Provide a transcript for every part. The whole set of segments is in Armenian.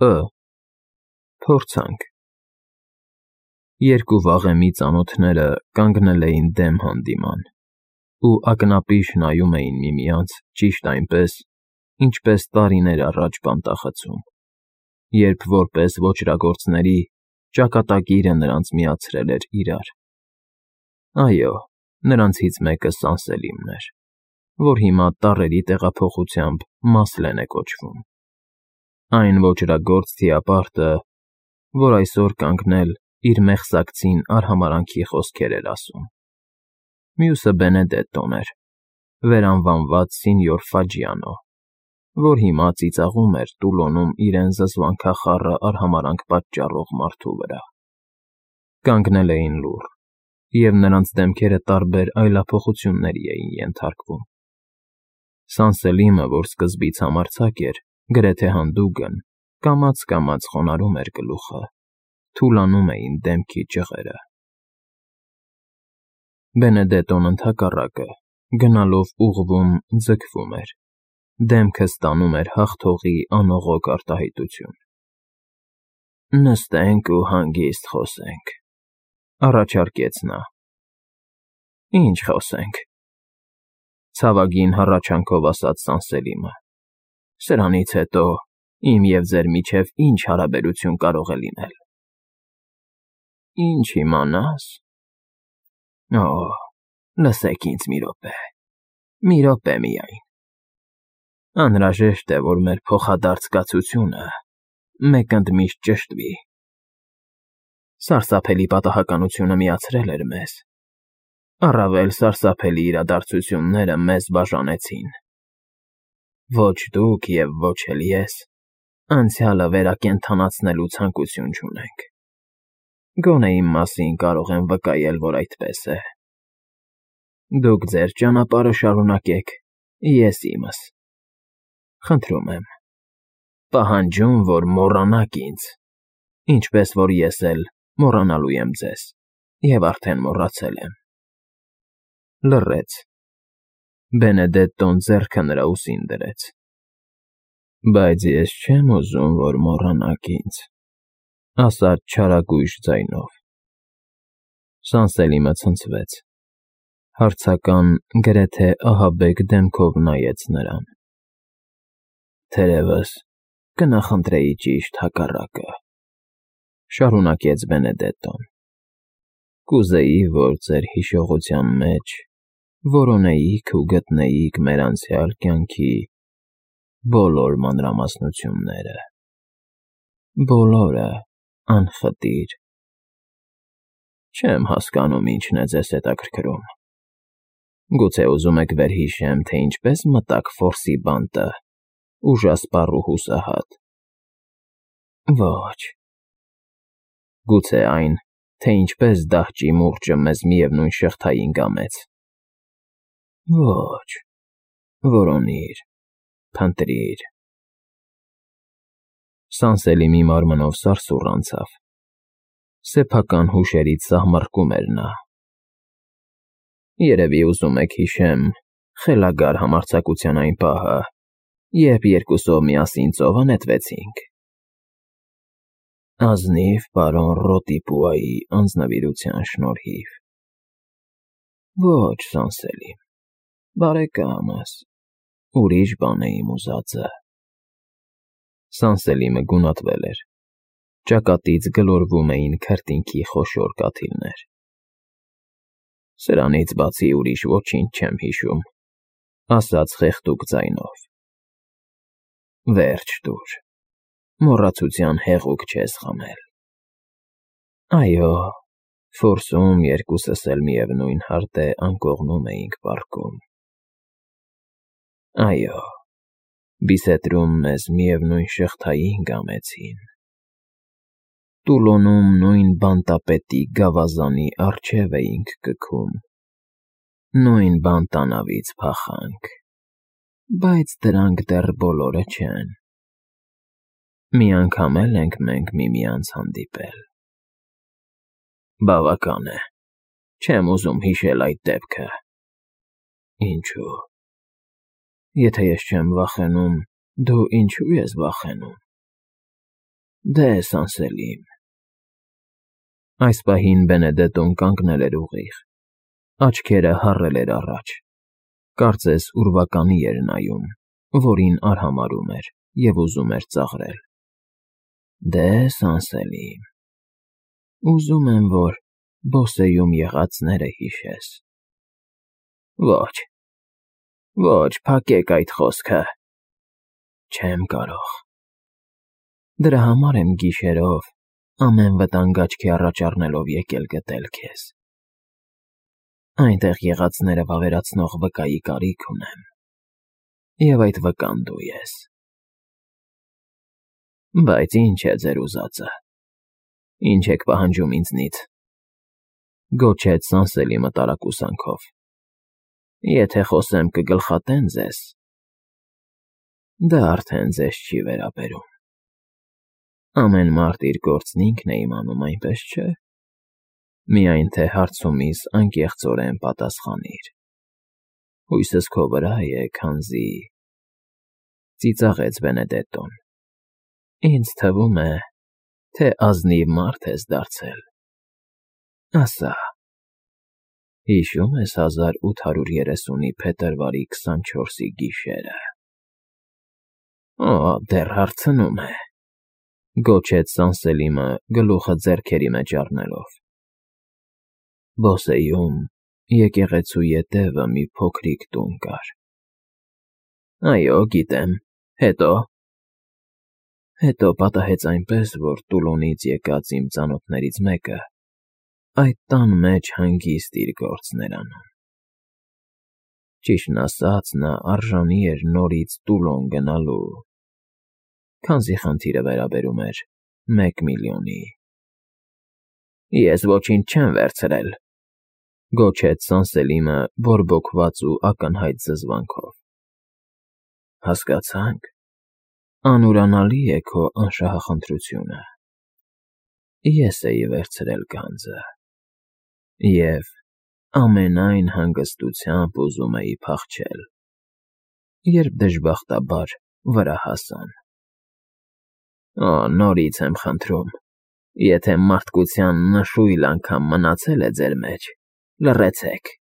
Փորձանք։ Երկու վաղեմի ծանոթները կանգնել էին դեմ հանդիման ու ակնապիշ նայում էին միմյանց ճիշտ այնպես, ինչպես տարիներ առաջ բանտախցում, երբ որպես ոճրագործների ճակատագիրը նրանց միացրել էր իրար։ Այո, նրանցից մեկը Սանսելիմն էր, որ հիմա տառերի տեղափոխությամբ Մասլեն է կոչվում։ Այն ոճրագործ թիապարտը, որ այսօր կանգնել իր մեղսակցին արհամարհանքի խոսքեր էր ասում։ Մյուսը Բենեդետտոն էր, վերանվանված Սինյոր Ֆաջիանո, որ հիմա ծիծաղում էր Տուլոնում իրեն զզվանքախառը արհամարհանք պատճառող մարդու վրա։ Կանգնել էին լուռ, և նրանց դեմքերը տարբեր այլափոխությունների էին ենթարկվում։ Սանսելիմը, որ սկզբից համարձակ էր, գրեթե հանդուգն, կամաց խոնարհում էր գլուխը, թուլանում էին դեմքի ճղերը։ Բենեդետտոն ընդհակառակը, գնալով ուղղվում, ձգվում էր, դեմքը ստանում էր հաղթողի անողոք արտահայտություն։ «Նստենք ու հանգիստ խոսենք», առաջարկեց նա։ «Ինչ խոսենք,֊ ցավագին հառաչանքով ասաց Սանսելիմը,֊ սրանից հետո իմ և ձեր միջև ինչ հարաբերություն կարող է լինել»։ «Ինչ իմանաս… Օ, լսեք ինձ մի րոպե միայն… Անհրաժեշտ է, որ մեր փոխադարձ կացությունը մեկընդմիշտ ճշտվի։ Սարսափելի պատահականությունը միացրել էր մեզ, առավել սարսափելի իրադարձությունները մեզ բաժանեցին։ Ոչ դուք և ոչ էլ ես անցյալը վերակենդանացնելու ցանկություն չունենք։ Գոնե իմ մասին կարող եմ վկայել, որ այդպես է։ Դուք ձեր ճանապարհը շարունակեք, ես իմս։ Խնդրում եմ, պահանջում, որ մոռանաք ինձ, ինչպես որ ես էլ մոռանալու եմ ձեզ, և արդեն մոռացել եմ»։ Լռեց։ Բենեդետտոն ձեռքը նրա ուսին դրեց։ «Բայց ես չեմ ուզում, որ մոռանաք ինձ,֊ ասաց չարագույժ ձայնով։ Սանսելիմը ցնցվեց, հարցական, գրեթե ահաբեկ դեմքով նայեց նրան։ «Թերևս կնախընտրեի ճիշտ հակառակը,֊ շարունակեց Բենեդետտոն։ Կուզեի, որ ձեր հիշողության մեջ որոնեիք ու գտնեիք մեր անցյալ կյանքի բոլոր մանրամասնությունները, բոլորը անխտիր։ Չեմ հասկանում ինչն է ձեզ հետաքրքրում։ Գուցե ուզում եք վերհիշեմ, թե ինչպես մտաք Ֆորսի բանտը, ուժասպառ ու հուսահատ։ Ոչ։ Գուցե այն, թե ինչպես դահճի մուրճը մեզ միևնույն շղթային կամեց։ Ոչ։ Որոնիր, փնտրիր։ Սանսելիմի մարմնով սարսուռ անցավ։ Սեփական հուշերից սահմռկում էր նա։ Երևի ուզում եք հիշեմ խելագար համարձակության այն պահը, երբ երկուսով միասին ծովը նետվեցինք։ Ազնիվ պարոն Ռոտիպուայի անձնվիրության շնորհիվ։ Ոչ, Սանսելիմ, բարեկամս, ուրիշ բան է իմ ուզածը։ Սանսելիմը գունատվել էր։ Ճակատից գլորվում էին քրտինքի խոշոր կաթիլներ։ Սրանից բացի ուրիշ ոչինչ չեմ հիշում,֊ ասաց խեղդուկ ձայնով։ Վերջ տուր, մոռացության հեղուկ չես խմել։ Այո, Ֆորսում երկուսս էլ միևնույն հարտե անկողնում էինք պառկում։ Այո, Բիսետրում մեզ միևնույն շղթային կամեցին։ Տուլոնում նույն բանտապետի գավազանի առջև էինք կգում, նույն բանտանավից փախանք, բայց դրանք դեռ բոլորը չեն։ Մի անգամ էլ ենք մենք միմյանց հանդիպել։ Բավական է, չեմ ուզում հիշել այդ դեպքը։ Ինչո՞ւ։ Եթե ես չեմ վախենում, դու ինչո՞ւ ես վախենում։ Դե Սանսելիմ։ Այս պահին Բենեդետոն կանգնել էր ուղիղ, աչքերը հառել էր առաջ, կարծես ուրվականի էր նայում, որին արհամարհում էր և ուզում էր ծաղրել։ Դե Սանսելիմ, ուզում եմ, որ Բոսեյում եղածները հիշես։ Ոչ, ոչ, փակեք այդ խոսքը։ Չեմ կարող։ Դրա համար եմ գիշերով, ամեն վտանգ աչքի առաջ առնելով եկել գտել քեզ։ Այնտեղ եղածները վավերացնող վկայի կարիք ունեմ, և այդ վկան դու ես։ Բայց ինչ է ձեր ուզածը, ինչ եք պահանջում ինձնից, գոչեց Սանսելիմը տարակուսանքով։ Եթե խոսեմ կգլխատեն ձեզ, դա արդեն ձեզ չի վերաբերում։ Ամեն մարդ իր գործն ինքն է իմանում, այնպես չէ։ Միայն թե հարցումիս անկեղծորեն պատասխանիր։ Հույսս քո վրա է, քանզի… Ծիծաղեց Բենեդետոն։ Ինձ թվում է, թե ազնիվ մարդ ես դարձել։ Ասա, հիշո՞ւմ ես 1830-ի փետրվարի 24-ի գիշերը։ Օ, դեռ հարցնում է, գոչեց Սանսելիմը գլուխը ձեռքերի մեջ առնելով։ Բոսեյում եկեղեցու ետևը մի փոքրիկ տուն կար։ Այո, գիտեմ, հետո… Հետո պատահեց այնպես, որ Տուլոնից եկած իմ ծանոթներից մեկը այդ տան մեջ հանգիստ իր գործն էր անում։ Ճիշտն ասած, նա արժանի էր նորից Տուլոն գնալու, քանզի խնդիրը վերաբերում էր 1 միլիոնի։ Ես ոչինչ չեմ վերցրել, գոչեց Սանսելիմը բորբոքված ու ակնհայտ զզվանքով։ Հասկացանք, անուրանալի է քո անշահախնդրությունը։ Ես էի վերցրել գանձը և ամենայն հանգստությամբ ուզում էի փախչել, երբ դժբախտաբար վրա հասան։ Օ, նորից եմ խնդրում, եթե մարդկության նշույլ անգամ մնացել է ձեր մեջ, լռեցեք։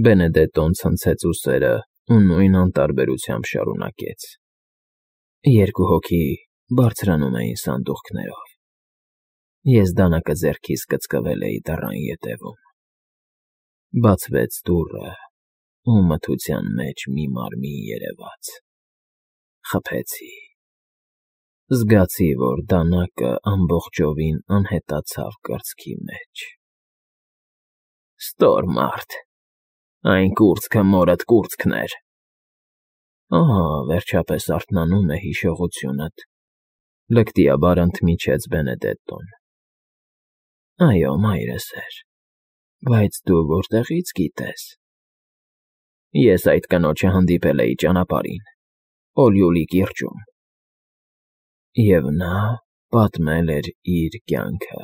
Բենեդետոն ցնցեց ուսերը ու նույն անտարբերությամբ շարունակեց։ Երկու հոգի բարձրանում էին սանդուղքներով։ Ես դանակը ձեռքիս կծկվել էի դռան ետևում։ Բացվեց դուռը, ու մթության մեջ մի մարմին երևաց։ Խփեցի։ Զգացի, որ դանակը ամբողջովին անհետացավ կրծքի մեջ։ Ստոր մարդ, այն կուրծքը մորդ կուրծքն էր։ Ահա, վերջապես արթնանում է հիշողությունդ, լկտիաբար ընդմիջեց Բենեդետոն։ Այո, մայրս էր, բայց դու որտեղից գիտես։ Ես այդ կնոջը հանդիպել էի ճանապարհին, Օլյուլի կիրճում, և նա պատմել էր իր կյանքը։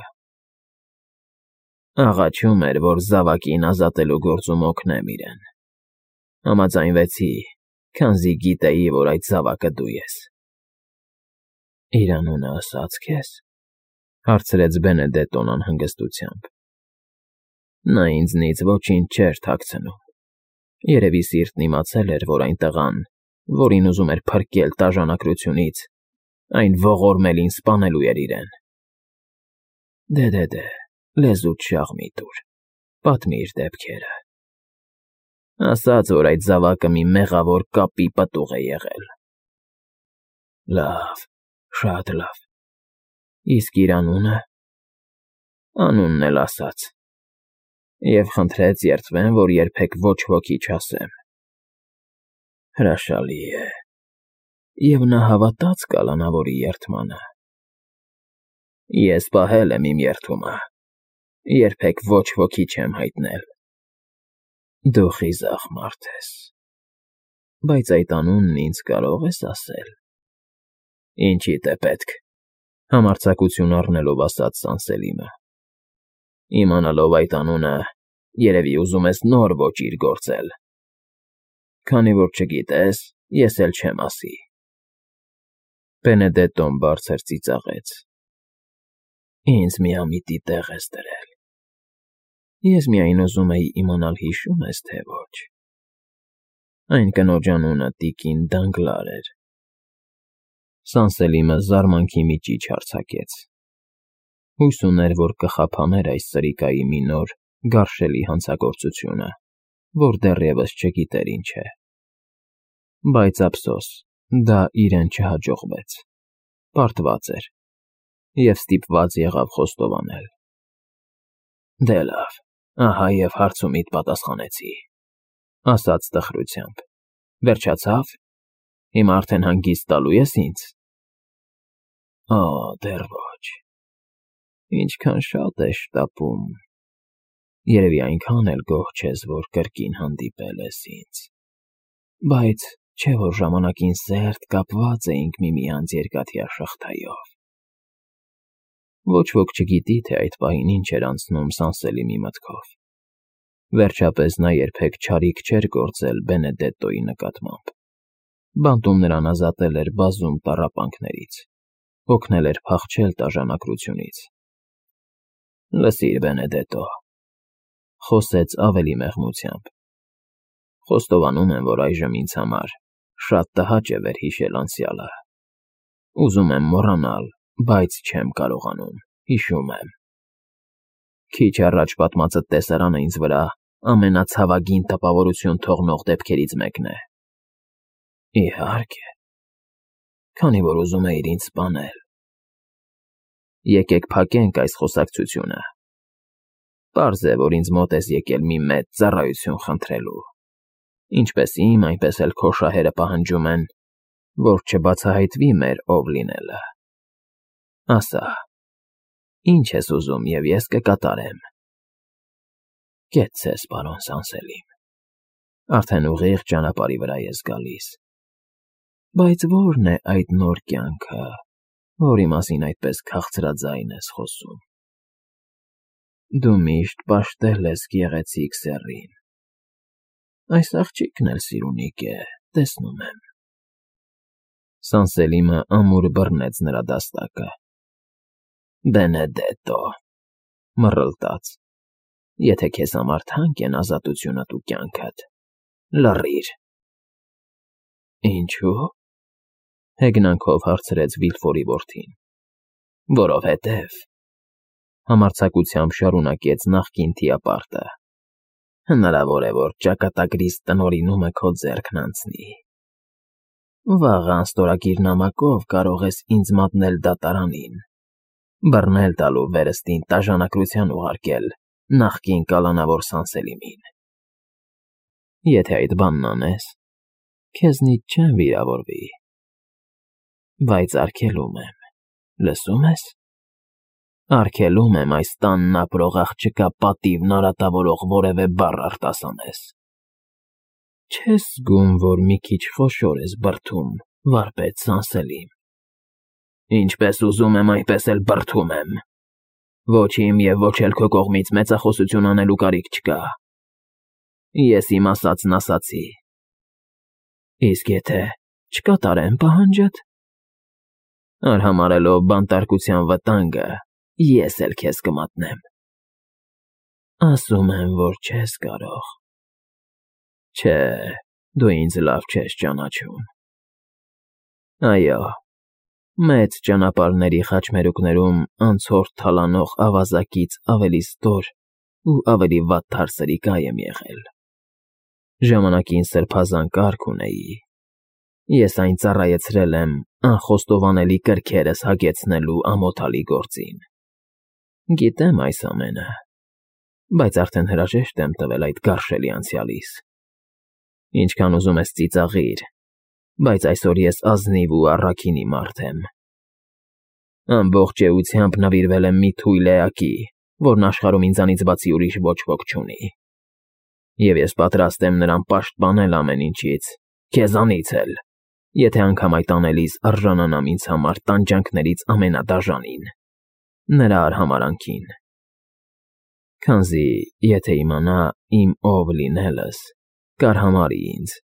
Աղաչում էր, որ զավակին ազատելու գործում օգնեմ իրեն։ Համաձայնվեցի, քանզի գիտեի, որ այդ զավակը դու ես։ Իր անունը ասա՞ց քեզ, հարցրեց Բենեդետոն անհանգստությամբ։ Նա ինձնից ոչինչ չէր թաքցնում։ Երևի սիրտն իմացել էր, որ այն տղան, որին ուզում էր փրկել տաժանակրությունից, այն ողորմելին սպանելու էր իրեն։ Դե, լեզուդ շաղ մի տուր, պատմիր դեպքերը։ Ասաց, որ այդ զավակը մի մեղավոր կապի պտուղ է եղել։ Լավ, շատ լավ։ Իսկ իր անունը։ Անունն էլ ասաց։ Եվ խնդրեց երդվեմ, որ երբեք ոչ ոքի չասեմ։ Հրաշալի է։ Եվ նա հավատաց կալանավորի երդմանը։ Ես պահել եմ իմ երդումը, երբեք ոչ ոքի չեմ հայտնել։ Դու խիզախ մարդ ես, բայց այդ անունն ինձ կարող ես ասել։ Ինչիդ է պետք, համարձակություն առնելով ասաց Սանսելիմը։ Իմանալով այդ անունը, երևի ուզում ես նոր ոճիր գործել։ Քանի որ չգիտես, ես էլ չեմ ասի։ Բենեդետոն բարձր ծիծաղեց։ Ինձ միամիտի տեղ ես դրել։ Ես միայն ուզում էի իմանալ հիշում ես, թե ոչ։ Այն կնոջ անունը տիկին Դանգլար էր։ Սանսելիմը զարմանքի մի ճիչ արձակեց։ Հույս ուներ, որ կխափաներ այս սրիկայի մի նոր, գարշելի հանցագործությունը, որ դեռևս չգիտեր ինչ է։ Բայց ափսոս, դա իրեն չհաջողվեց։ Պարտված էր և ստիպված եղավ խոստովանել։ Դե լավ, ահա և հարցումիդ պատասխանեցի, ասաց տխրությամբ։ Վերջացավ։ Հիմա արդեն հանգիստ տալու ես ինձ։ Օ, դեռ ոչ։ Ինչքան շատ ես շտապում։ Երևի այնքան էլ գոհ չես, որ կրկին հանդիպել ես ինձ։ Բայց չէ՞ որ ժամանակին սերտ կապված էինք միմյանց երկաթյա շղթայով։ Ոչ ոք չգիտի, թե այդ պահին ինչ էր անցնում Սանսելիմի մտքով։ Վերջապես նա երբեք չարիք չէր գործել Բենեդետոյի նկատմամբ։ Բանտում նրան ազատել էր բազում տառապանքներից, օգնել էր փախչել տաժանակրությունից։ Լսիր, Բենեդետո, խոսեց ավելի մեղմությամբ։ Խոստովանում եմ, որ այժմ ինձ համար շատ տհաճ է վերհիշել անցյալը։ Ուզում եմ մոռանալ, բայց չեմ կարողանում, հիշում եմ։ Քիչ առաջ պատմածդ տեսարանը ինձ վրա ամենացավագին տպավորություն թողնող դեպքերից մեկն է։ Իհարկե, քանի որ ուզում էիր ինձ սպանել։ Եկեք փակենք այս խոսակցությունը։ Պարզ է, որ ինձ մոտ ես եկել մի մեծ ծառայություն խնդրելու։ Ինչպես իմ, այնպես էլ քո շահերը պահանջում են, որ չբացահայտվի մեր ով լինելը։ Ասա, ինչ ես ուզում, և ես կկատարեմ։ Կեցցես, պարոն Սանսելիմ, արդեն ուղիղ ճանապարհի վրա ես գալիս։ Բայց ո՞րն է այդ նոր կյանքը, որի մասին այդպես քաղցրաձայն ես խոսում։ Դու միշտ պաշտել ես գեղեցիկ սեռին։ Այս աղջիկն էլ սիրունիկ է, տեսնում եմ։ Սանսելիմը ամուր բռնեց նրա դաստակը։ Բենեդետո, մռլտաց, եթե քեզ համար թանկ են ազատությունդ ու կյանքդ, լռիր։ Ինչո՞ւ։ Հեգնանքով հարցրեց Վիլֆորի որդին։ Որովհետև, համարձակությամբ շարունակեց նախկին թիապարտը, հնարավոր է, որ ճակատագրիս տնօրինումը քո ձեռքն անցնի։ Վաղ անստորագիր նամակով կարող ես ինձ մատնել դատարանին, բռնել տալու վերստին տաժանակրության ուղարկել նախկին կալանավոր Սանսելիմին։ Եթե այդ բանն անես, քեզնից չեմ վիրավորվի։ Բայց արգելում եմ, լսում ես։ Արգելում եմ այս տանն ապրող աղջկա պատիվն արատավորող որևէ բառ արտասանես։ Չես զգում, որ մի քիչ խոշոր ես բրդում, վարպետ Սանսելիմ։ Ինչպես ուզում եմ, այնպես էլ բրդում եմ։ Ոչ իմ և ոչ էլ քո կողմից մեծախոսություն անելու կարիք չկա։ Ես իմ ասածն ասացի։ Իսկ եթե չկատարեմ պահանջդ։ Արհամարհելով բանտարկության վտանգը, ես էլ քեզ կմատնեմ։ Ասում եմ, որ չես կարող։ Չէ, դու ինձ լավ չես ճանաչում։ Այո, մեծ ճանապարհների խաչմերուկներում անցորդ թալանող ավազակից ավելի ստոր ու ավելի վատթար սրիկա եմ եղել։ Ժամանակին սրբազան կարգ ունեի։ Ես այն ծառայեցրել եմ անխոստովանելի կրքերս հագեցնելու ամոթալի գործին։ Գիտեմ այս ամենը, բայց արդեն հրաժեշտ եմ տվել այդ գարշելի անցյալիս։ Ինչքան ուզում ես ծիծաղիր, բայց այսօր ես ազնիվ ու առաքինի մարդ եմ։ Ամբողջ էությամբ նվիրվել եմ մի թույլ էակի, որն աշխարհում ինձանից բացի ուրիշ ոչ ոք չունի։ Եվ ես պատրաստ եմ նրան պաշտպանել ամեն ինչից, քեզանից էլ, եթե անգամ այդ անելիս արժանանամ ինձ համար տանջանքներից ամենադաժանին, նրա արհամարհանքին։ Քանզի, եթե իմանա իմ ով լինելս, կարհամարհի ինձ